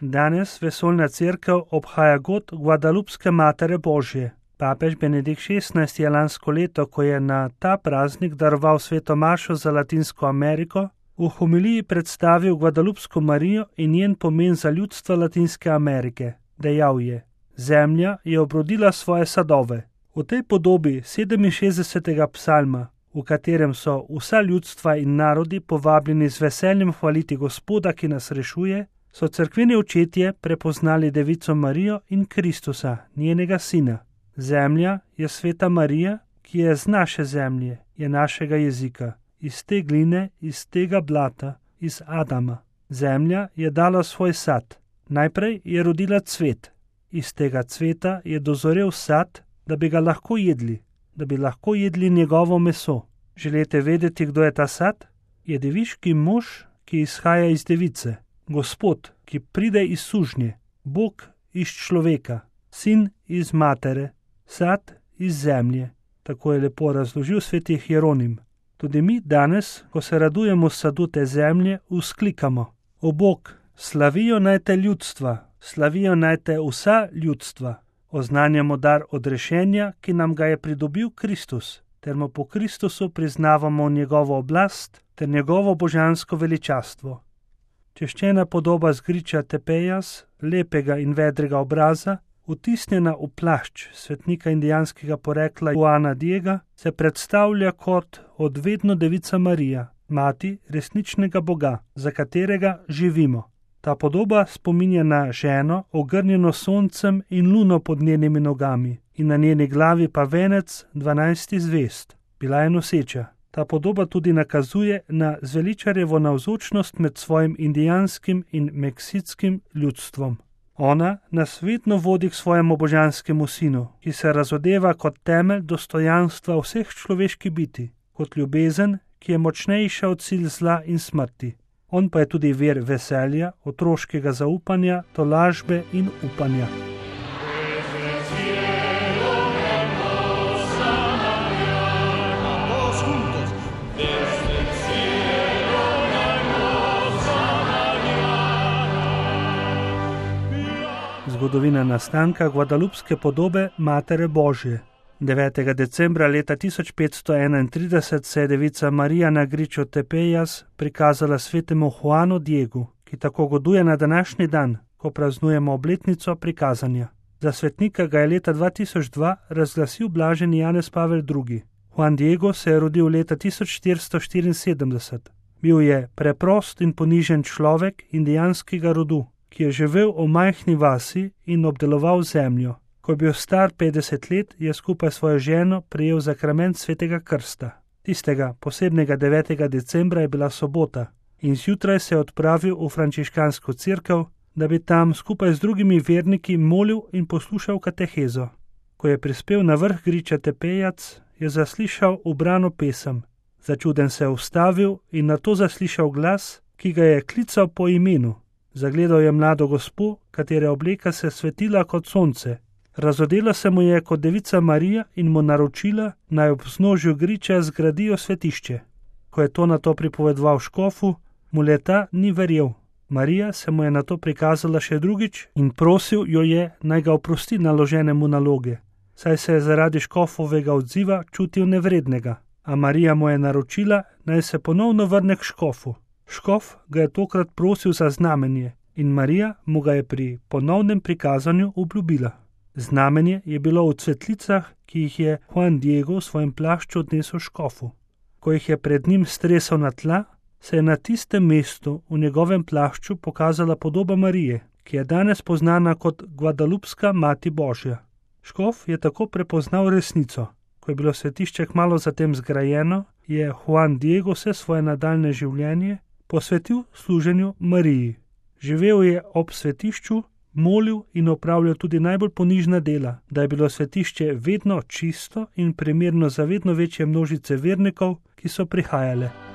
Danes vesoljna cerkev obhaja god Guadalupske Matere Božje. Papež Benedikt XVI je lansko leto, ko je na ta praznik daroval sveto mašo za Latinsko Ameriko, v homiliji predstavil Guadalupsko Marijo in njen pomen za ljudstvo Latinske Amerike. Dejal je: Zemlja je obrodila svoje sadove. V tej podobi 67. psalma, v katerem so vsa ljudstva in narodi povabljeni z veseljem hvaliti Gospoda, ki nas rešuje, so cerkveni očetje prepoznali Devico Marijo in Kristusa, njenega sina. Zemlja je sveta Marija, ki je z naše zemlje, je našega jezika, iz te gline, iz tega blata, iz Adama. Zemlja je dala svoj sad. Najprej je rodila cvet. Iz tega cveta je dozorel sad, da bi ga lahko jedli, da bi lahko jedli njegovo meso. Želite vedeti, kdo je ta sad? Je deviški mož, ki izhaja iz device, Gospod, ki pride iz sužnje, Bog iz človeka, sin iz matere, sad iz zemlje. Tako je lepo razložil sveti Hieronim. Tudi mi danes, ko se radujemo sadu te zemlje, vzklikamo: O Bog, slavijo naj te ljudstva, slavijo naj te vsa ljudstva. Oznanjamo dar odrešenja, ki nam ga je pridobil Kristus, ter mu po Kristusu priznavamo njegovo oblast ter njegovo božansko veličastvo. Češčena podoba zgriča Tepejas, lepega in vedrega obraza, vtisnjena v plašč svetnika indijanskega porekla Juana Diega, se predstavlja kot odvedno Devica Marija, mati resničnega Boga, za katerega živimo. Ta podoba spominja na ženo, ogrnjeno soncem in luno pod njenimi nogami, in na njeni glavi pa venec 12 zvezd. Bila je noseča. Ta podoba tudi nakazuje na zveličarjevo navzočnost med svojim indijanskim in meksickim ljudstvom. Ona nas vedno vodi k svojemu božanskemu sinu, ki se razodeva kot temelj dostojanstva vseh človeških biti, kot ljubezen, ki je močnejša od sil zla in smrti. On pa je tudi vir veselja, otroškega zaupanja, tolažbe in upanja. Zgodovina nastanka guadalupske podobe Matere Božje. 9. decembra leta 1531 se je Devica Marija na griču Tepejas prikazala svetemu Juanu Diegu, ki tako goduje na današnji dan, ko praznujemo obletnico prikazanja. Za svetnika ga je leta 2002 razglasil blaženi Janez Pavel II. Juan Diego se je rodil leta 1474. Bil je preprost in ponižen človek indijanskega rodu, ki je živel v majhni vasi in obdeloval zemljo. Ko je bil star 50 let, je skupaj s svojo ženo prejel zakrament svetega krsta. Tistega posebnega 9. decembra je bila sobota in zjutraj se je odpravil v frančiškansko cerkev, da bi tam skupaj z drugimi verniki molil in poslušal katehezo. Ko je prispel na vrh griča Tepejac, je zaslišal ubrano pesem. Začuden se je ustavil in nato zaslišal glas, ki ga je klical po imenu. Zagledal je mlado gospo, katere obleka se svetila kot sonce. Razodela se mu je kot Devica Marija in mu naročila, naj ob vznožju griča zgradijo svetišče. Ko je to nato pripovedoval škofu, mu le ta ni verjel. Marija se mu je nato prikazala še drugič in prosil jo je, naj ga oprosti naložene mu naloge, saj se je zaradi škofovega odziva čutil nevrednega. A Marija mu je naročila, naj se ponovno vrne k škofu. Škof ga je tokrat prosil za znamenje in Marija mu ga je pri ponovnem prikazanju obljubila. Znamenje je bilo v cvetlicah, ki jih je Juan Diego v svojem plašču odnesel škofu. Ko jih je pred njim stresel na tla, se je na tistem mestu v njegovem plašču pokazala podoba Marije, ki je danes poznana kot Guadalupska Mati Božja. Škof je tako prepoznal resnico. Ko je bilo svetišče kmalu zatem zgrajeno, je Juan Diego vse svoje nadaljne življenje posvetil služenju Mariji. Živel je ob svetišču, molil in opravljal tudi najbolj ponižna dela, da je bilo svetišče vedno čisto in primerno za vedno večje množice vernikov, ki so prihajale.